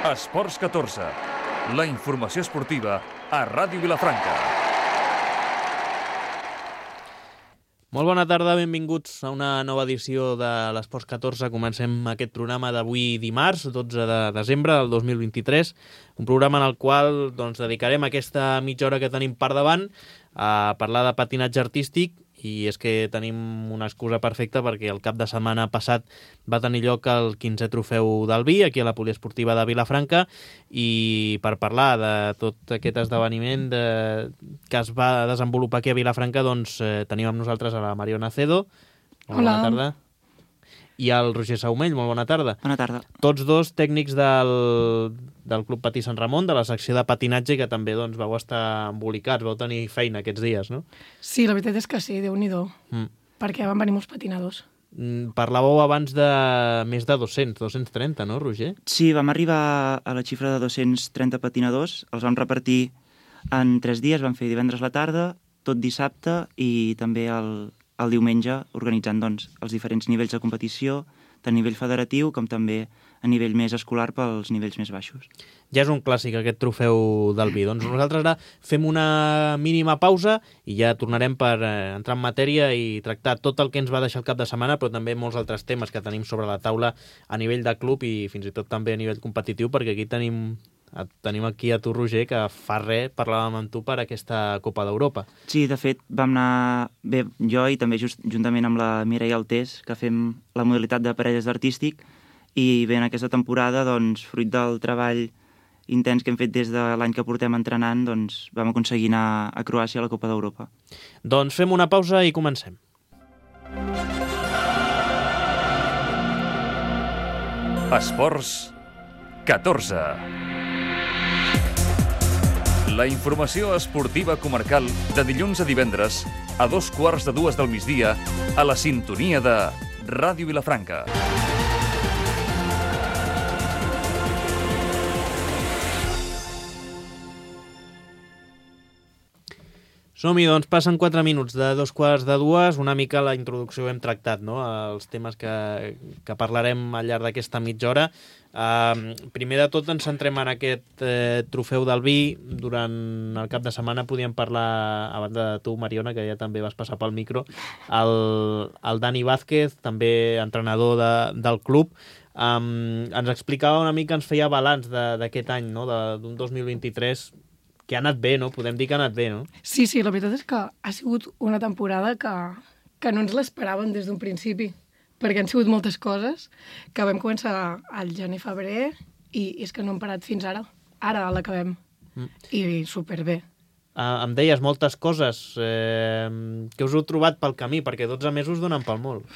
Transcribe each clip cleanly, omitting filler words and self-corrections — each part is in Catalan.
Esports 14, la informació esportiva a Ràdio Vilafranca. Molt bona tarda, benvinguts a una nova edició de l'Esports 14. Comencem aquest programa d'avui dimarts, 12 de desembre del 2023, un programa en el qual dedicarem aquesta mitja hora que tenim per davant a parlar de patinatge artístic. I és que tenim una excusa perfecta perquè el cap de setmana passat va tenir lloc el 15è trofeu del Vi, aquí a la poliesportiva de Vilafranca, i per parlar de tot aquest esdeveniment que es va desenvolupar aquí a Vilafranca, tenim amb nosaltres a la Mariona Acedo. Bona tarda. I al Roger Saumell, molt bona tarda. Bona tarda. Tots dos tècnics del Club Patí Sant Ramon, de la secció de patinatge, que també vau estar embolicats, vau tenir feina aquests dies, no? Sí, la veritat és que sí, Déu-n'hi-do, perquè van venir molts patinadors. Parlàveu abans de més de 200, 230, no, Roger? Sí, vam arribar a la xifra de 230 patinadors, els vam repartir en 3 dies, vam fer divendres a la tarda, tot dissabte i també el diumenge, organitzant els diferents nivells de competició, tant a nivell federatiu com també a nivell més escolar pels nivells més baixos. Ja és un clàssic aquest trofeu del Vi. Nosaltres ara fem una mínima pausa i ja tornarem per entrar en matèria i tractar tot el que ens va deixar el cap de setmana, però també molts altres temes que tenim sobre la taula a nivell de club i fins i tot també a nivell competitiu, perquè aquí tenim aquí a tu, Roger, que fa res parlàvem amb tu per aquesta Copa d'Europa. Sí, de fet, vam anar bé, jo i també juntament amb la Mireia Altés, que fem la modalitat de parelles d'artístic, i bé, en aquesta temporada, fruit del treball intens que hem fet des de l'any que portem entrenant, vam aconseguir anar a Croàcia a la Copa d'Europa. Doncs fem una pausa i comencem. Esports 14. La informació esportiva comarcal de dilluns a divendres a 2:15 del migdia a la sintonia de Ràdio Vilafranca. Som-hi, passen 4 minuts de 2:15, una mica la introducció hem tractat, no?, els temes que parlarem al llarg d'aquesta mitja hora. Primer de tot ens centrem en aquest trofeu del Vi. Durant el cap de setmana podíem parlar, a banda de tu, Mariona, que ja també vas passar pel micro, el Dani Vázquez, també entrenador del club, ens explicava una mica, ens feia balanç d'aquest any, no?, d'un 2023 que ha anat bé, no? Podem dir que ha anat bé, no? Sí, la veritat és que ha sigut una temporada que no ens l'esperàvem des d'un principi, perquè han sigut moltes coses que vam començar al gener-febrer i és que no hem parat fins ara. Ara l'acabem. I superbé. Em deies moltes coses. Què us heu trobat pel camí? Perquè 12 mesos donen pel molt.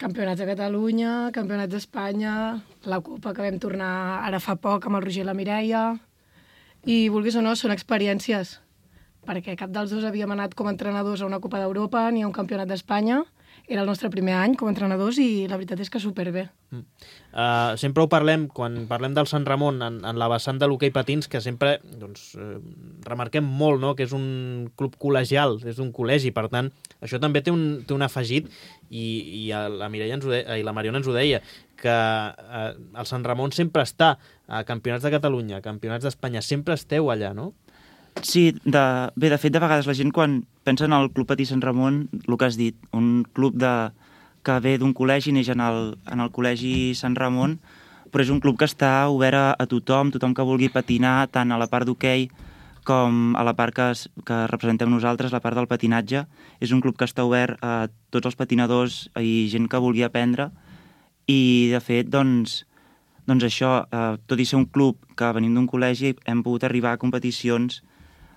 Campionats de Catalunya, campionats d'Espanya, la Copa que vam tornar ara fa poc amb el Roger i la Mireia. I, vulguis o no, són experiències, perquè cap dels dos havíem anat com a entrenadors a una Copa d'Europa ni a un campionat d'Espanya. Era el nostre primer any com a entrenadors i la veritat és que superbé. Sempre ho parlem, quan parlem del Sant Ramon, en la vessant de l'hoquei patins, que sempre remarquem molt, no?, que és un club col·legial, és un col·legi, per tant, això també té un afegit, i la Mireia i la Mariona ens ho deia, que el Sant Ramon sempre està a campionats de Catalunya, a campionats d'Espanya, sempre esteu allà, no? Sí, de fet, de vegades la gent quan pensa en el Club Patí Sant Ramon, el que has dit, un club que ve d'un col·legi, neix en el col·legi Sant Ramon, però és un club que està obert a tothom que vulgui patinar, tant a la part d'hoquei com a la part que representem nosaltres, la part del patinatge. És un club que està obert a tots els patinadors i gent que vulgui aprendre, i de fet, això, tot i ser un club que venim d'un col·legi, hem pogut arribar a competicions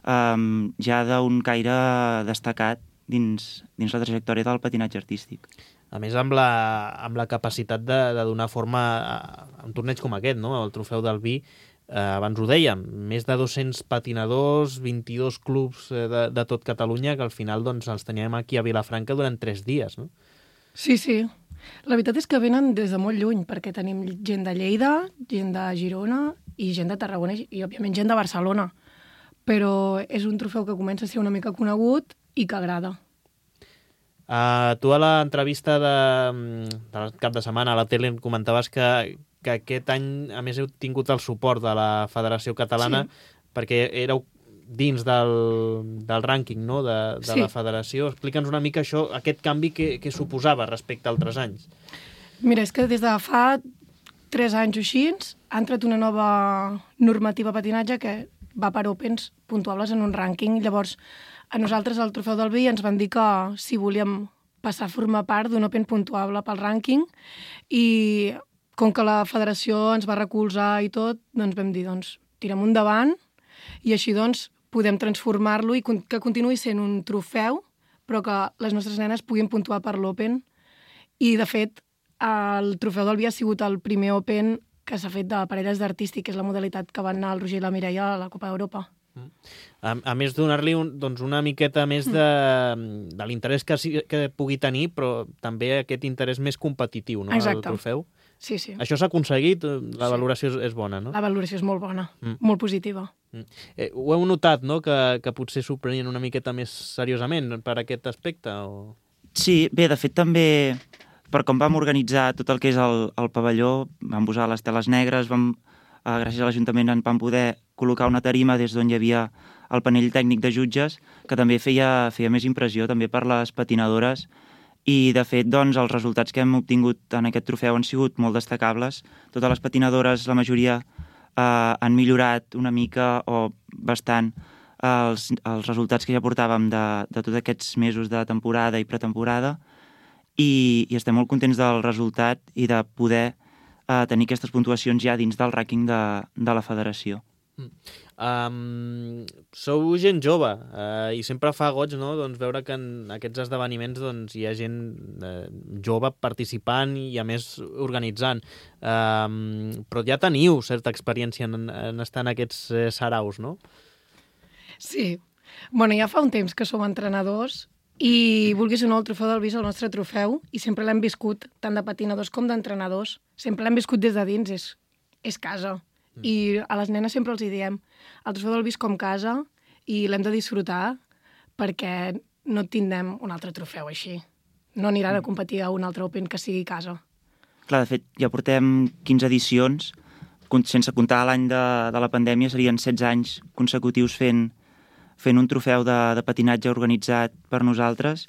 ja d'un caire destacat dins la trajectòria del patinatge artístic. A més, amb la capacitat de donar forma a un torneig com aquest, no?, el trofeu del Vi, abans ho dèiem, més de 200 patinadors, 22 clubs de tot Catalunya, que al final els teníem aquí a Vilafranca durant 3 dies, no? Sí. La veritat és que venen des de molt lluny, perquè tenim gent de Lleida, gent de Girona i gent de Tarragona i, òbviament, gent de Barcelona. Però és un trofeu que comença a ser una mica conegut i que agrada. Tu a l'entrevista del cap de setmana a la tele comentaves que que aquest any, a més, heu tingut el suport de la Federació Catalana, perquè éreu dins del rànquing, no?, de la federació. Explica'ns una mica això, aquest canvi que suposava respecte a altres anys. Mira, és que des de fa 3 anys o així ha entrat una nova normativa patinatge que va per Opens puntuables en un rànquing. Llavors, a nosaltres, al Trofeu del Vi, ens van dir que si volíem passar a formar part d'un Open puntuable pel rànquing, i com que la federació ens va recolzar i tot, doncs vam dir, tirem endavant, i així podem transformar-lo i que continuï sent un trofeu, però que les nostres nenes puguin puntuar per l'Open. I, de fet, el Trofeu del Vi ha sigut el primer Open que s'ha fet de parelles d'artístic, que és la modalitat que van anar el Roger i la Mireia a la Copa d'Europa. A més, donar-li una miqueta més de l'interès que pugui tenir, però també aquest interès més competitiu, no?, al trofeu. Sí. Això s'ha aconseguit? La valoració és bona, no? La valoració és molt bona, molt positiva. Ho heu notat, no?, que potser s'ho prenien una miqueta més seriosament per aquest aspecte? O... Sí, bé, de fet també, per com vam organitzar tot el que és el pavelló, vam posar les teles negres, gràcies a l'Ajuntament vam poder col·locar una tarima des d'on hi havia el panell tècnic de jutges, que també feia més impressió també per les patinadores, i de fet els resultats que hem obtingut en aquest trofeu han sigut molt destacables. Totes les patinadores, la majoria, han millorat una mica o bastant els resultats que ja portàvem de tots aquests mesos de temporada i pretemporada, i estem molt contents del resultat i de poder tenir aquestes puntuacions ja dins del rànquing de la federació. Sou gent jove i sempre fa goig, no?, veure que en aquests esdeveniments hi ha gent jove participant i, a més, organitzant. Però ja teniu certa experiència en estar en aquests saraus, no? Sí. Bueno, ja fa un temps que som entrenadors i, vulguis o no, el Trofeu del Vi és el nostre trofeu i sempre l'hem viscut, tant de patinadors com d'entrenadors. Sempre l'hem viscut des de dins, és casa. I a les nenes sempre els hi diem, el Trofeu del Vi és com casa i l'hem de disfrutar perquè no tindrem un altre trofeu així. No aniran a competir a un altre Open que sigui casa. Clar, de fet, ja portem 15 edicions, sense comptar l'any de la pandèmia, serien 16 anys consecutius fent un trofeu de patinatge organitzat per nosaltres,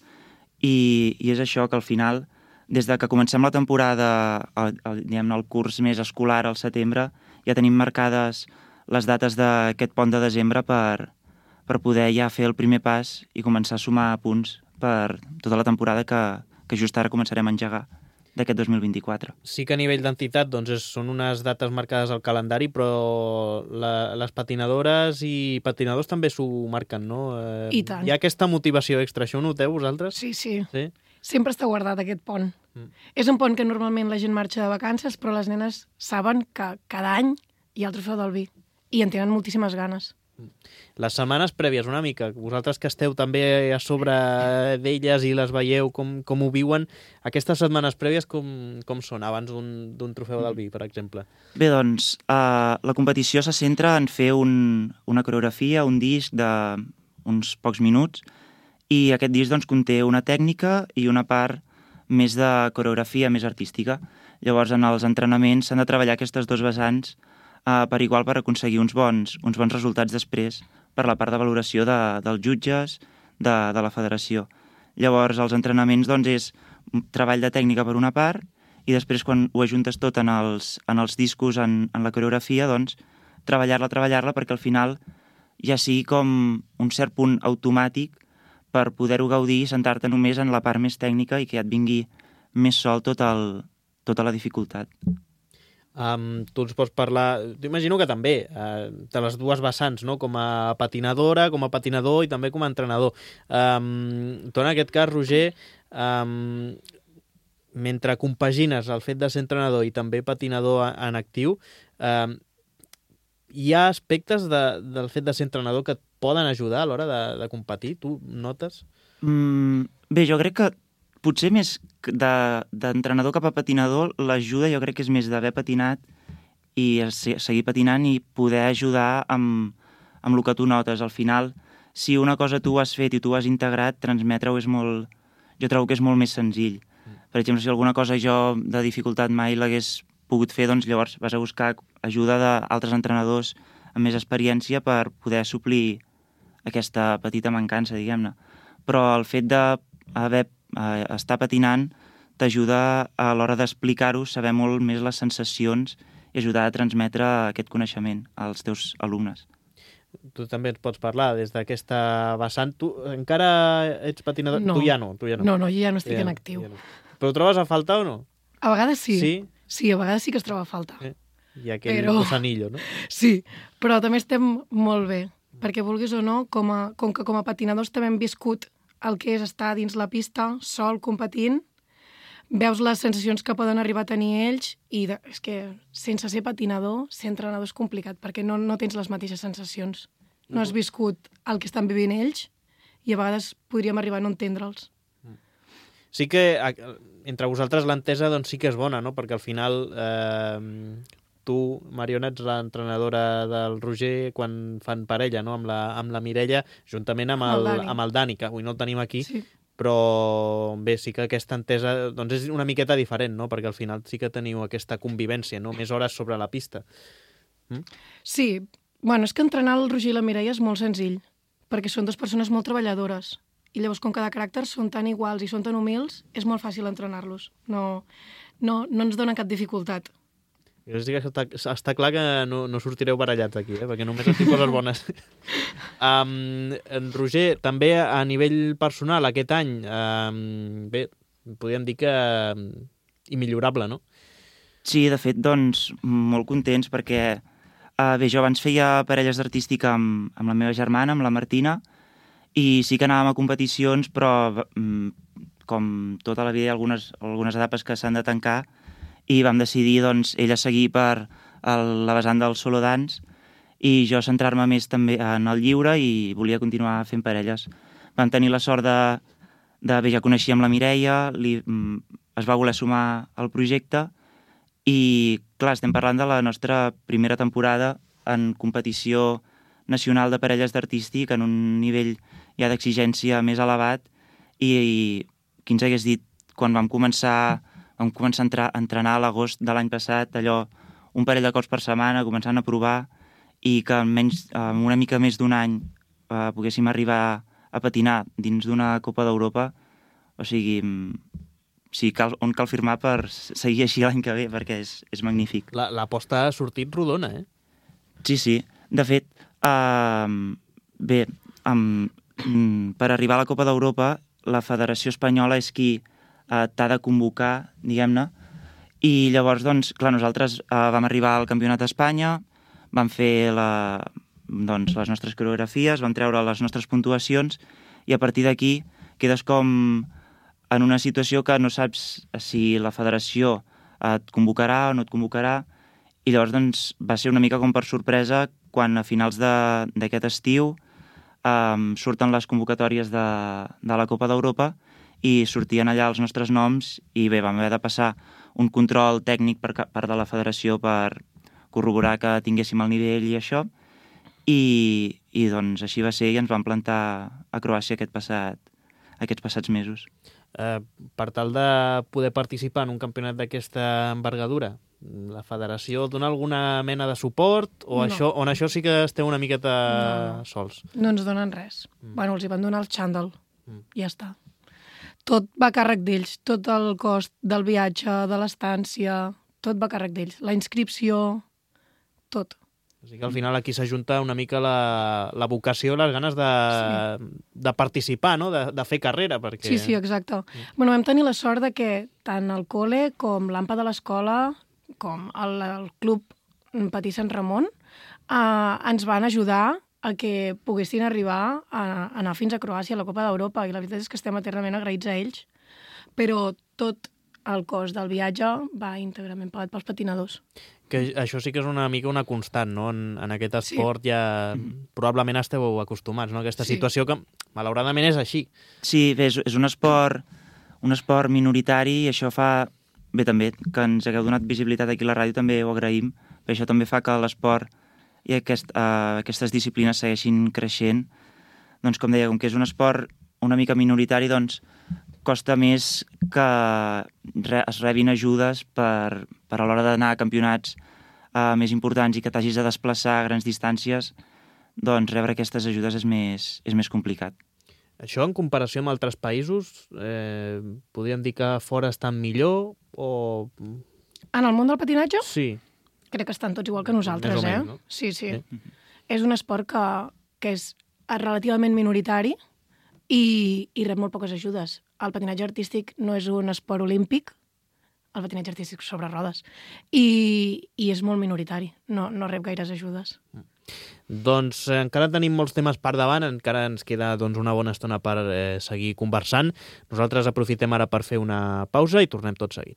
i és això que al final, des de que comencem la temporada, diguem-ne, el curs més escolar al setembre, ja tenim marcades les dates d'aquest pont de desembre per poder ja fer el primer pas i començar a sumar punts per tota la temporada que just ara començarem a engegar d'aquest 2024. Sí que a nivell d'entitat són unes dates marcades al calendari, però les patinadores i patinadors també s'ho marquen, no? I tant. Hi ha aquesta motivació extra, això ho noteu vosaltres? Sí. Sempre està guardat aquest pont. És un pont que normalment la gent marxa de vacances, però les nenes saben que cada any hi ha el Trofeu del Vi i en tenen moltíssimes ganes. Les setmanes prèvies, una mica, vosaltres que esteu també a sobre d'elles i les veieu com ho viuen, aquestes setmanes prèvies com són abans d'un Trofeu del Vi, per exemple? Bé, la competició se centra en fer una coreografia, un disc d'uns pocs minuts, i aquest disc conté una tècnica i una part més de coreografia, més artística. Llavors, en els entrenaments s'han de treballar aquestes dues vessants per igual per aconseguir uns bons resultats després per la part de valoració dels jutges de la federació. Llavors, els entrenaments és treball de tècnica per una part i després, quan ho ajuntes tot en els discos, en la coreografia, treballar-la perquè al final ja sigui com un cert punt automàtic per poder-ho gaudir i sentar-te només en la part més tècnica i que ja et vingui més sol tota la dificultat. Tu ens pots parlar, t'imagino que també, de les dues vessants, no? Com a patinadora, com a patinador i també com a entrenador. Tu, en aquest cas, Roger, mentre compagines el fet de ser entrenador i també patinador en actiu, hi ha aspectes del fet de ser entrenador que et poden ajudar a l'hora de competir? Tu notes? Bé, jo crec que potser més d'entrenador cap a patinador, l'ajuda jo crec que és més d'haver patinat i seguir patinant i poder ajudar amb el que tu notes. Al final, si una cosa tu has fet i tu has integrat, transmetre-ho jo trobo que és molt més senzill. Per exemple, si alguna cosa jo de dificultat mai l'hagués pogut fer, doncs llavors vas a buscar ajuda d'altres entrenadors amb més experiència per poder suplir aquesta petita mancança, diguem-ne. Però el fet d'estar patinant t'ajuda a l'hora d'explicar-ho, saber molt més les sensacions i ajudar a transmetre aquest coneixement als teus alumnes. Tu també ens pots parlar des d'aquesta vessant. Tu encara ets patinador? No. Tu ja no. No, jo ja no estic en actiu. Ja no. Però ho trobes a faltar o no? A vegades sí. Sí? Sí, a vegades sí que es troba a faltar. I aquell cosanillo, no? Sí, però també estem molt bé, perquè vulguis o no, com que patinadors també hem viscut el que és estar dins la pista, sol, competint, veus les sensacions que poden arribar a tenir ells i és que sense ser patinador, ser entrenador és complicat, perquè no tens les mateixes sensacions. No has viscut el que estan vivint ells i a vegades podríem arribar a no entendre'ls. Sí que entre vosaltres l'entesa doncs, sí que és bona, no? Perquè al final tu, Mariona, ets l'entrenadora del Roger quan fan parella, no? amb la Mireia, juntament amb el Dani, que avui no el tenim aquí, sí. Però bé, sí que aquesta entesa doncs és una miqueta diferent, no? Perquè al final sí que teniu aquesta convivència, no? Més hores sobre la pista. Sí, bueno, és que entrenar el Roger i la Mireia és molt senzill, perquè són dues persones molt treballadores. I llavors, com cada caràcter són tan iguals i són tan humils, és molt fàcil entrenar-los. No ens donen cap dificultat. Està clar que no sortireu barallats aquí, perquè només et dic coses bones. En Roger, també a nivell personal, aquest any, bé, podríem dir que immillorable, no? Sí, de fet, doncs, molt contents, perquè bé, jo abans feia parelles d'artística amb la meva germana, amb la Martina, i sí que anàvem a competicions, però com tota la vida hi ha algunes etapes que s'han de tancar, i vam decidir, doncs, ella seguir per la vessant del solo dance i jo centrar-me més també en el lliure i volia continuar fent parelles. Vam tenir la sort de ja coneixíem la Mireia, es va voler sumar al projecte i, clar, estem parlant de la nostra primera temporada en competició nacional de parelles d'artístic en un nivell ja d'exigència més elevat i qui ens hagués dit quan vam començar a entrenar a l'agost de l'any passat, allò, un parell de cops per setmana, començant a provar, i que en una mica més d'un any poguéssim arribar a patinar dins d'una Copa d'Europa, o sigui, on cal firmar per seguir així l'any que ve, perquè és magnífic. L'aposta ha sortit rodona, eh? Sí. De fet, bé, per arribar a la Copa d'Europa, la Federació Espanyola és qui t'ha de convocar, diguem-ne, i llavors, doncs, clar, nosaltres vam arribar al Campionat d'Espanya, vam fer les nostres coreografies, vam treure les nostres puntuacions i a partir d'aquí quedes com en una situació que no saps si la federació et convocarà o no et convocarà i llavors, doncs, va ser una mica com per sorpresa quan a finals d'aquest estiu surten les convocatòries de la Copa d'Europa i sortien allà els nostres noms i bé, vam haver de passar un control tècnic per part de la federació per corroborar que tinguéssim el nivell i això i doncs així va ser i ens vam plantar a Croàcia aquests passats mesos. Per tal de poder participar en un campionat d'aquesta envergadura, la federació dona alguna mena de suport o no. Això sí que esteu una miqueta sols? No ens donen res. Bueno, els hi van donar el xandall. Ja està. Tot va a càrrec d'ells. Tot el cost del viatge, de l'estància, tot va a càrrec d'ells. La inscripció, tot. O sigui que al final aquí s'ajunta una mica la vocació, les ganes de participar, no? De fer carrera. Perquè... Sí, exacte. Bueno, vam tenir la sort de que tant el col·le com l'AMPA de l'escola com el Club Patí Sant Ramon ens van ajudar a que poguessin arribar a anar fins a Croàcia, a la Copa d'Europa, i la veritat és que estem eternament agraïts a ells. Però tot el cost del viatge va íntegrament pagat pels patinadors. Que això sí que és una mica una constant, no? En aquest esport ja probablement esteu acostumats, no? Aquesta situació que malauradament és així. Sí, bé, és un esport minoritari i això fa... Bé, també, que ens hagueu donat visibilitat aquí a la ràdio també ho agraïm, però això també fa que l'esport i aquestes disciplines segueixin creixent. Doncs, com deia, com que és un esport una mica minoritari, doncs costa més que es rebin ajudes per a l'hora d'anar a campionats més importants i que t'hagis de desplaçar a grans distàncies, doncs rebre aquestes ajudes és més complicat. Això, en comparació amb altres països, podríem dir que fora estan millor o... En el món del patinatge? Sí. Crec que estan tots igual que nosaltres, Més o menys, no? Sí. És un esport que és relativament minoritari i rep molt poques ajudes. El patinatge artístic no és un esport olímpic, el patinatge artístic sobre rodes, i és molt minoritari, no rep gaires ajudes. Doncs encara tenim molts temes per davant, encara ens queda una bona estona per seguir conversant. Nosaltres aprofitem ara per fer una pausa i tornem tot seguit.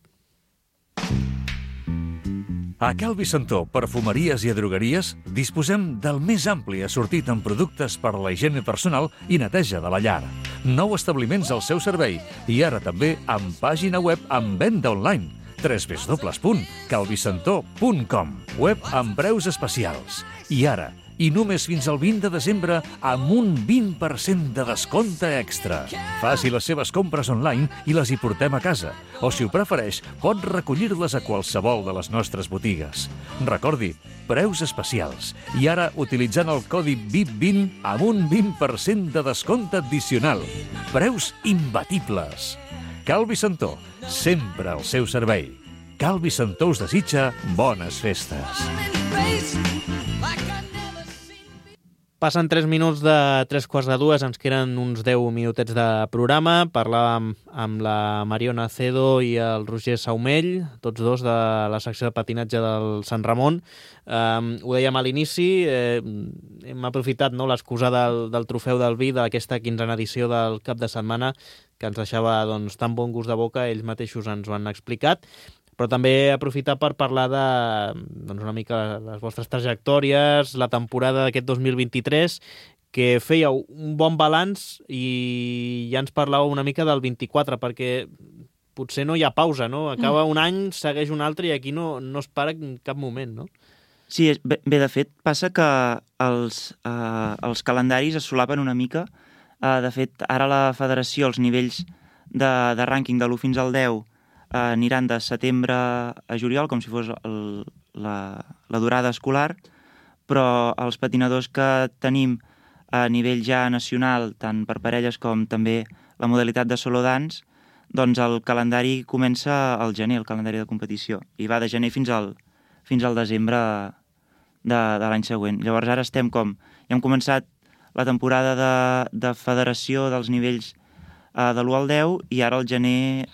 A Cal Vicentó, perfumeries i drogueries, disposem del més ampli assortit en productes per a la higiene personal i neteja de la llar. 9 establiments al seu servei i ara també amb pàgina web amb venda online. www.calvicentó.com. Web amb preus especials. I ara, i només fins al 20 de desembre, amb un 20% de descompte extra. Faci les seves compres online i les hi portem a casa. O, si ho prefereix, pot recollir-les a qualsevol de les nostres botigues. Recordi, preus especials. I ara, utilitzant el codi VIP20 amb un 20% de descompte addicional. Preus imbatibles. Cal Vicentó, sempre al seu servei. Cal Vicentó us desitja bones festes. Passen 3 minuts de 3:45, ens queden uns 10 minutets de programa. Parlàvem amb la Mariona Acedo i el Roger Saumell, tots dos de la secció de patinatge del Sant Ramon. Ho dèiem a l'inici, hem aprofitat l'excusa del trofeu del vi d'aquesta 15a edició del cap de setmana, que ens deixava tan bon gust de boca, ells mateixos ens ho han explicat, però també aprofitar per parlar de una mica les vostres trajectòries, la temporada d'aquest 2023, que fèieu un bon balanç i ja ens parlàveu una mica del 24, perquè potser no hi ha pausa, no? Acaba un any, segueix un altre i aquí no es para en cap moment, no? Sí, bé, de fet, passa que els calendaris es solapen una mica. De fet, ara la federació, els nivells de rànquing de l'1 fins al 10 aniran de setembre a juliol, com si fos la durada escolar, però els patinadors que tenim a nivell ja nacional, tant per parelles com també la modalitat de solo dance, doncs el calendari comença al gener, el calendari de competició, i va de gener fins al desembre de l'any següent. Llavors ara ja hem començat la temporada de federació dels nivells de l'1 al 10 i ara el gener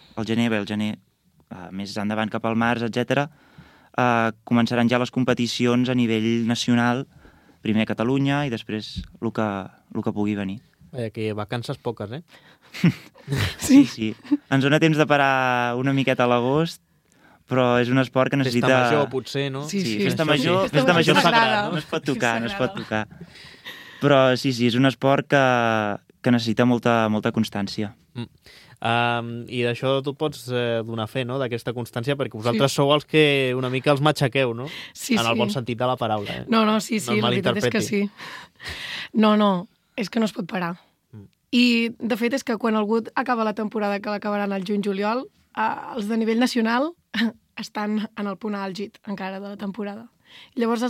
més endavant cap al març, etc., començaran ja les competicions a nivell nacional, primer a Catalunya i després el que pugui venir. Que vacances poques, eh? Sí. Ens dona temps de parar una miqueta a l'agost, però és un esport que necessita... Festa major, potser, no? Sí, festa major sagrat, no es pot tocar. Però sí, és un esport que necessita molta constància. I d'això tu pots donar fe, no?, d'aquesta constància, perquè vosaltres sou els que una mica els matxaqueu, no? Sí. En el bon sentit de la paraula. No, sí, la veritat és que sí. No, és que no es pot parar. I, de fet, és que quan algú acaba la temporada, que l'acabaran al juny-juliol, els de nivell nacional estan en el punt àlgid encara de la temporada. Llavors ho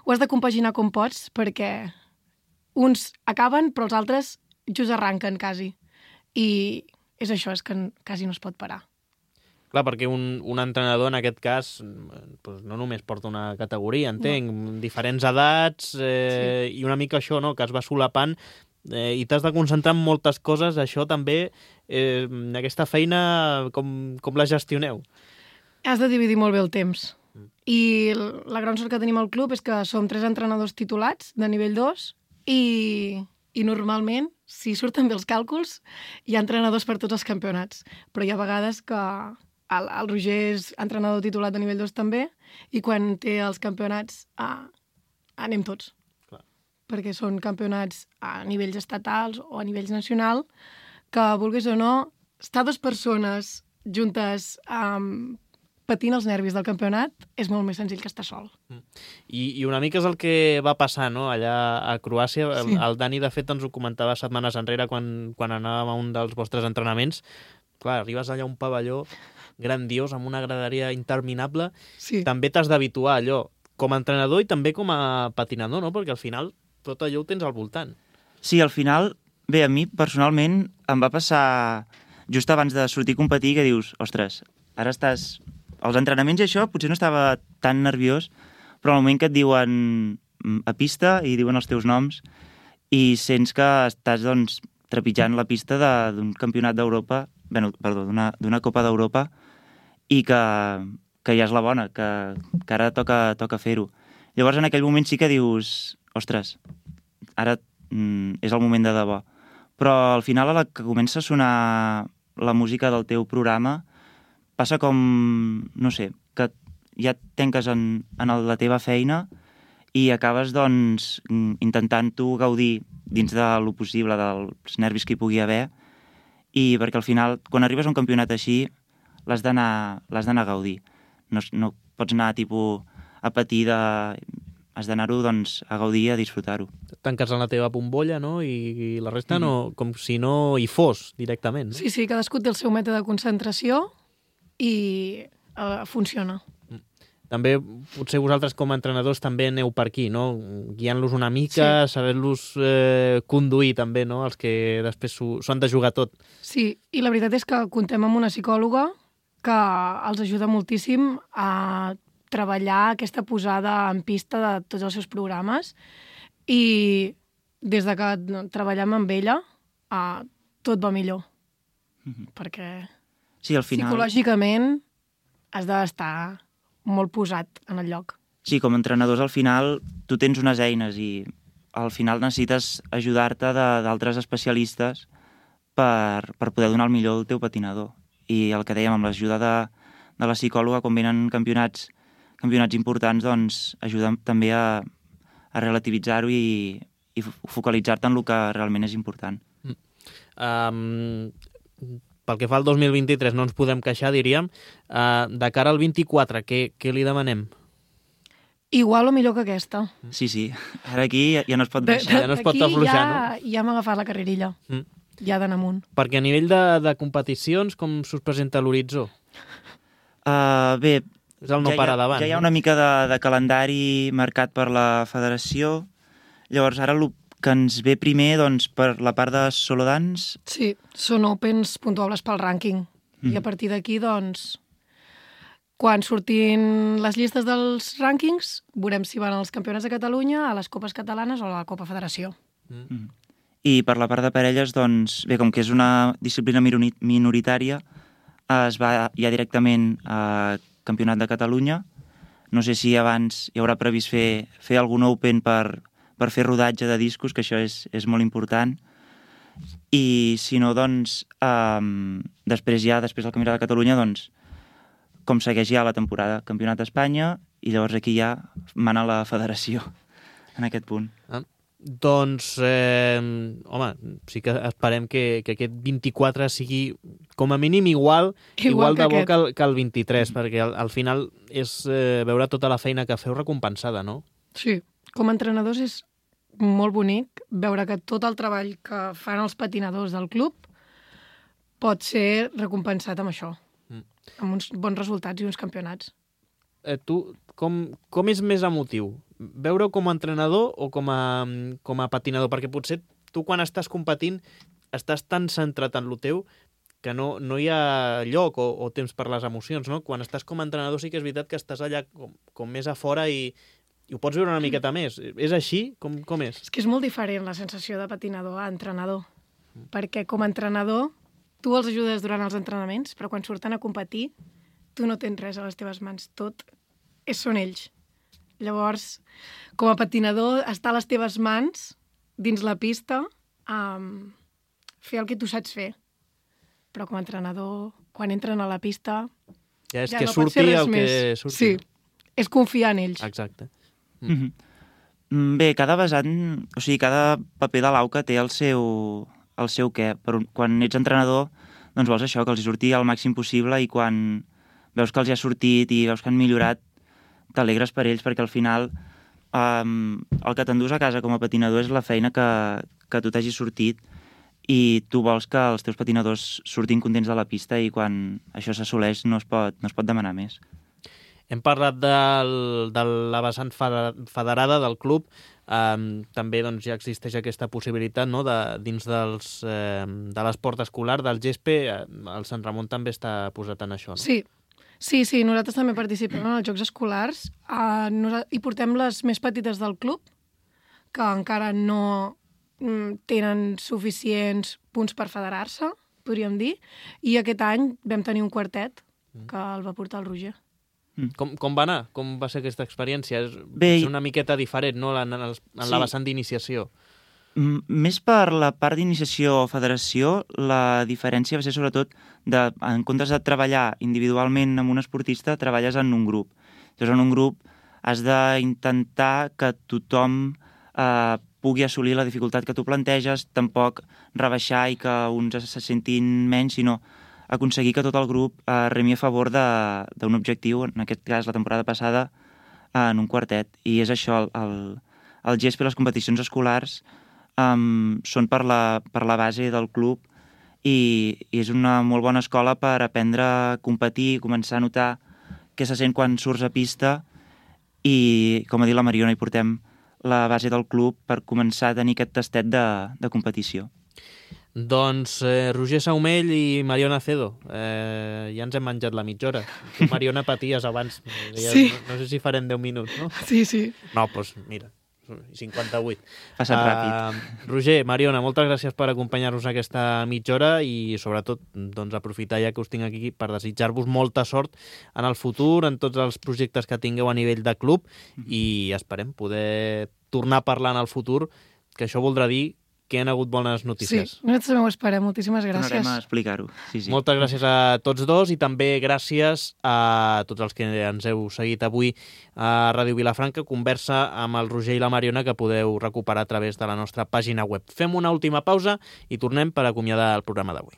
has de compaginar com pots, perquè uns acaben, però els altres just arranquen, quasi. I és això, és que quasi no es pot parar. Clar, perquè un entrenador, en aquest cas, no només porta una categoria, entenc, diferents edats, i una mica això, no?, que es va solapant, i t'has de concentrar en moltes coses. Això també, aquesta feina, com la gestioneu? Has de dividir molt bé el temps. I la gran sort que tenim al club és que som 3 entrenadors titulats de nivell 2 i normalment, si surten bé els càlculs, hi ha entrenadors per tots els campionats. Però hi ha vegades que el Roger és entrenador titulat de nivell 2 també, i quan té els campionats anem tots. Clar. Perquè són campionats a nivells estatals o a nivells nacional, que, vulguis o no, estar 2 persones juntes patint els nervis del campionat, és molt més senzill que estar sol. I una mica és el que va passar, no?, allà a Croàcia. Sí. El Dani, de fet, ens ho comentava setmanes enrere quan anàvem a un dels vostres entrenaments. Clar, arribes allà a un pavelló grandiós, amb una graderia interminable. Sí. També t'has d'habituar a allò, com a entrenador i també com a patinador, no?, perquè al final tot allò ho tens al voltant. Sí, al final, bé, a mi personalment em va passar just abans de sortir a competir que dius, ostres, ara estàs... Als entrenaments i això potser no estava tan nerviós, però al moment que et diuen a pista i diuen els teus noms i sents que estàs doncs, trepitjant la pista d'un campionat d'Europa, d'una Copa d'Europa, i que ja és la bona, que ara toca fer-ho. Llavors en aquell moment sí que dius, ostres, ara és el moment de debò. Però al final, a la que comença a sonar la música del teu programa, passa com, no sé, que ja et tanques en la teva feina i acabes, doncs, intentant tu gaudir dins de lo possible dels nervis que hi pugui haver, i perquè al final, quan arribes a un campionat així, l'has d'anar a gaudir. No pots anar, tipus, a patir has d'anar-ho, doncs, a gaudir i a disfrutar-ho. Tanques en la teva bombolla, no?, i la resta no, com si no hi fos directament, no? Sí, cadascú té el seu mètode de concentració i funciona. També, potser vosaltres com a entrenadors també aneu per aquí, no?, guiant-los una mica, sí. Saber-los conduir també, no?, els que després s'ho han de jugar tot. Sí, i la veritat és que comptem amb una psicòloga que els ajuda moltíssim a treballar aquesta posada en pista de tots els seus programes, i des de que treballem amb ella tot va millor, perquè sí, al final... psicològicament has d'estar molt posat en el lloc. Sí, com a entrenadors al final tu tens unes eines i al final necessites ajudar-te d'altres especialistes per poder donar el millor al teu patinador. I el que dèiem, amb l'ajuda de la psicòloga, quan venen campionats importants, doncs ajuda també a relativitzar-ho i focalitzar-te en el que realment és important. Pel que fa al 2023 no ens podem queixar, diríem. De cara al 24, què li demanem? Igual o millor que aquesta. Sí. Ara aquí ja no es pot baixar. Ja no es pot afluixar, no? Ja hem agafat la carrerilla. Ja d'anar amunt. Perquè a nivell de competicions, com s'us presenta l'horitzó? Bé, és el no parar davant. Ja hi ha una mica de calendari marcat per la federació. Llavors, ara el que ens ve primer, doncs, per la part de solo dance... Sí, són opens puntuables pel rànquing. I a partir d'aquí, doncs, quan surtin les llistes dels rànquings, veurem si van als campionats de Catalunya, a les copes catalanes o a la Copa Federació. I per la part de parelles, doncs, bé, com que és una disciplina minoritària, es va ja directament a Campionat de Catalunya. No sé si abans hi haurà previst fer algun open per fer rodatge de discos, que això és molt important. I si no, doncs, després del Campionat de Catalunya, doncs, com segueix ja la temporada, Campionat d'Espanya, i llavors aquí ja mana la federació en aquest punt. Doncs, home, sí que esperem que aquest 24 sigui com a mínim igual de bo que el 23, perquè al final és veure tota la feina que feu recompensada, no? Sí, com a entrenadors és molt bonic veure que tot el treball que fan els patinadors del club pot ser recompensat amb això, amb uns bons resultats i uns campionats. Tu, com és més emotiu? Veure-ho com a entrenador o com a patinador? Perquè potser tu quan estàs competint estàs tan centrat en lo teu que no hi ha lloc o temps per les emocions, no? Quan estàs com a entrenador sí que és veritat que estàs allà com més a fora i ho pots veure una miqueta més. És així? Com és? És que és molt diferent la sensació de patinador a entrenador, perquè com a entrenador tu els ajudes durant els entrenaments, però quan surten a competir tu no tens res a les teves mans, tot són ells. Llavors, com a patinador, està a les teves mans, dins la pista, fer el que tu saps fer. Però com a entrenador, quan entren a la pista... Ja és ja que no surti el més. Que surti. Sí, és confiar en ells. Exacte. Bé, cada vessant, o sigui, cada paper de l'auca té el seu què. Quan ets entrenador, doncs vols això, que els surti el màxim possible, i quan veus que els hi ha sortit i veus que han millorat, t'alegres per ells, perquè al final el que t'endús a casa com a patinador és la feina que tu t'hagis sortit, i tu vols que els teus patinadors surtin contents de la pista, i quan això s'assoleix no es pot demanar més. Hem parlat de la vessant federada del club. També doncs, ja existeix aquesta possibilitat, no? Dins de l'esport escolar, del GESPE, el Sant Ramon també està posat en això, no? Sí, nosaltres també participem en els Jocs Escolars. Hi portem les més petites del club, que encara no tenen suficients punts per federar-se, podríem dir, i aquest any vam tenir un quartet que el va portar el Roger. Com va anar? Com va ser aquesta experiència? Bé, és una miqueta diferent, no?, en la vessant d'iniciació. Més per la part d'iniciació o federació, la diferència va ser sobretot en comptes de treballar individualment amb un esportista, treballes en un grup. Llavors, en un grup has d'intentar que tothom pugui assolir la dificultat que tu planteges, tampoc rebaixar i que uns se sentin menys, sinó aconseguir que tot el grup remi a favor d'un objectiu, en aquest cas la temporada passada, en un quartet. I és això, el GESPE i les competicions escolars són per la base del club, i és una molt bona escola per aprendre a competir, començar a notar què se sent quan surts a pista, i, com ha dit la Mariona, hi portem la base del club per començar a tenir aquest tastet de competició. Doncs Roger Saumell i Mariona Acedo, ja ens hem menjat la mitja hora. Tu, Mariona, paties abans. Sí. No sé si farem 10 minuts, no? Sí. No, doncs mira, 58. Passat ràpid. Roger, Mariona, moltes gràcies per acompanyar-nos aquesta mitja hora, i sobretot doncs, aprofitar ja que us tinc aquí per desitjar-vos molta sort en el futur, en tots els projectes que tingueu a nivell de club, i esperem poder tornar a parlar en el futur, que això voldrà dir que hi ha hagut bones notícies. Sí, nosaltres també ho esperem. Moltíssimes gràcies. Tornarem a explicar-ho. Sí. Moltes gràcies a tots dos, i també gràcies a tots els que ens heu seguit avui a Ràdio Vilafranca. Conversa amb el Roger i la Mariona que podeu recuperar a través de la nostra pàgina web. Fem una última pausa i tornem per acomiadar el programa d'avui.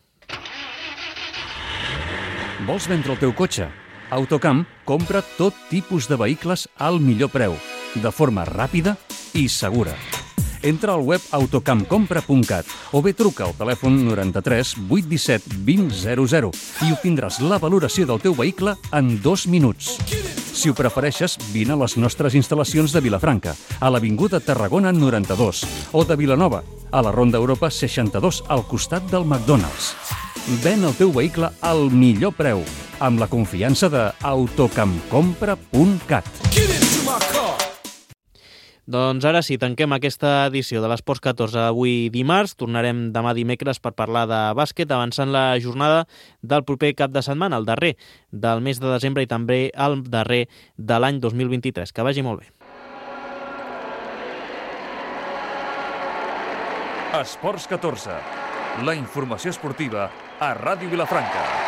Vols vendre el teu cotxe? Autocamp compra tot tipus de vehicles al millor preu, de forma ràpida i segura. Entra al web autocampcompra.cat o bé truca al telèfon 93 817 2000 i obtindràs la valoració del teu vehicle en 2 minuts. Si ho prefereixes, vine a les nostres instal·lacions de Vilafranca, a l'Avinguda Tarragona 92, o de Vilanova, a la Ronda Europa 62, al costat del McDonald's. Ven el teu vehicle al millor preu, amb la confiança de autocampcompra.cat. Doncs ara sí, tanquem aquesta edició de l'Esports 14 avui dimarts. Tornarem demà dimecres per parlar de bàsquet, avançant la jornada del proper cap de setmana, el darrer del mes de desembre i també el darrer de l'any 2023. Que vagi molt bé. Esports 14, la informació esportiva a Ràdio Vilafranca.